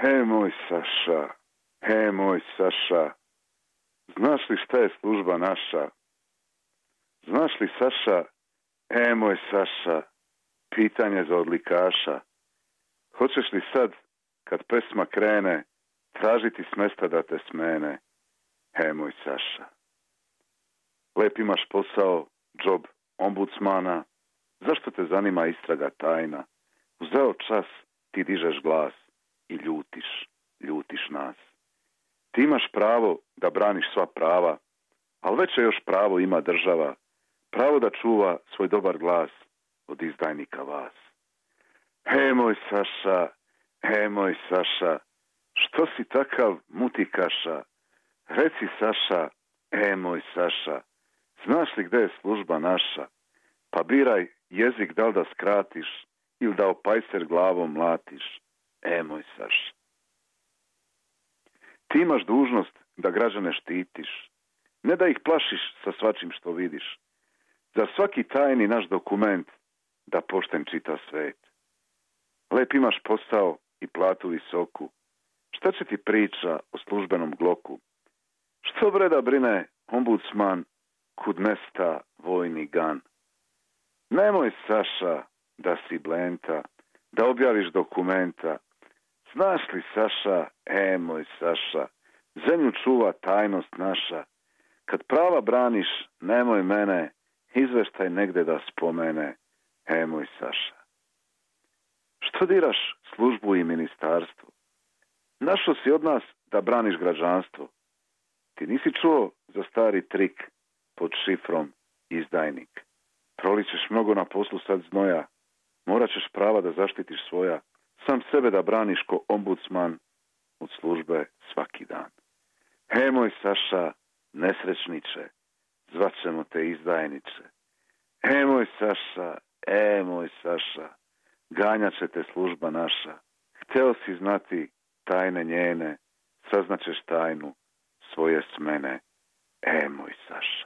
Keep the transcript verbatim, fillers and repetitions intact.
He moj Saša, he moj Saša, znaš li šta je služba naša? Znaš li Saša, he moj Saša, pitanje za odlikaša. Hoćeš li sad, kad pesma krene, tražiti s mesta da te smene? He moj Saša. Lep imaš posao, džob ombudsmana, zašto te zanima istraga tajna? Uzeo čas, ti dižeš glas i ljutiš, ljutiš nas. Ti imaš pravo da braniš sva prava, ali veće još pravo ima država, pravo da čuva svoj dobar glas od izdajnika vas. He moj Saša, he moj Saša, što si takav mutikaša? Reci Saša, he moj Saša, znaš li gde je služba naša? Pa biraj jezik da li da skratiš ili da opajser glavom mlatiš. E moj Saša. Ti imaš dužnost da građane štitiš, ne da ih plašiš sa svačim što vidiš. Za svaki tajni naš dokument da pošten čita svet. Lep imaš posao i platu visoku. Šta će ti priča o službenom gloku? Što bre da brine ombudsman kud mesta vojni gan? Nemoj Saša da si blenta, da objaviš dokumenta. Znaš li Saša, e moj Saša, zemlju čuva tajnost naša. Kad prava braniš, nemoj mene, izveštaj negde da spomene, e moj Saša. Što diraš službu i ministarstvo? Našo si od nas da braniš građanstvo. Ti nisi čuo za stari trik pod šifrom izdajnik. Prolićeš mnogo na poslu sad znoja, morat ćeš prava da zaštitiš svoja, sam sebe da braniš ko ombudsman od službe svaki dan. He moj Saša, nesrećniče, zvaćemo te izdajniče. He moj Saša, e moj Saša, ganjat će te služba naša. Hteo si znati tajne njene, saznaćeš tajnu svoje smene. E moj Saša.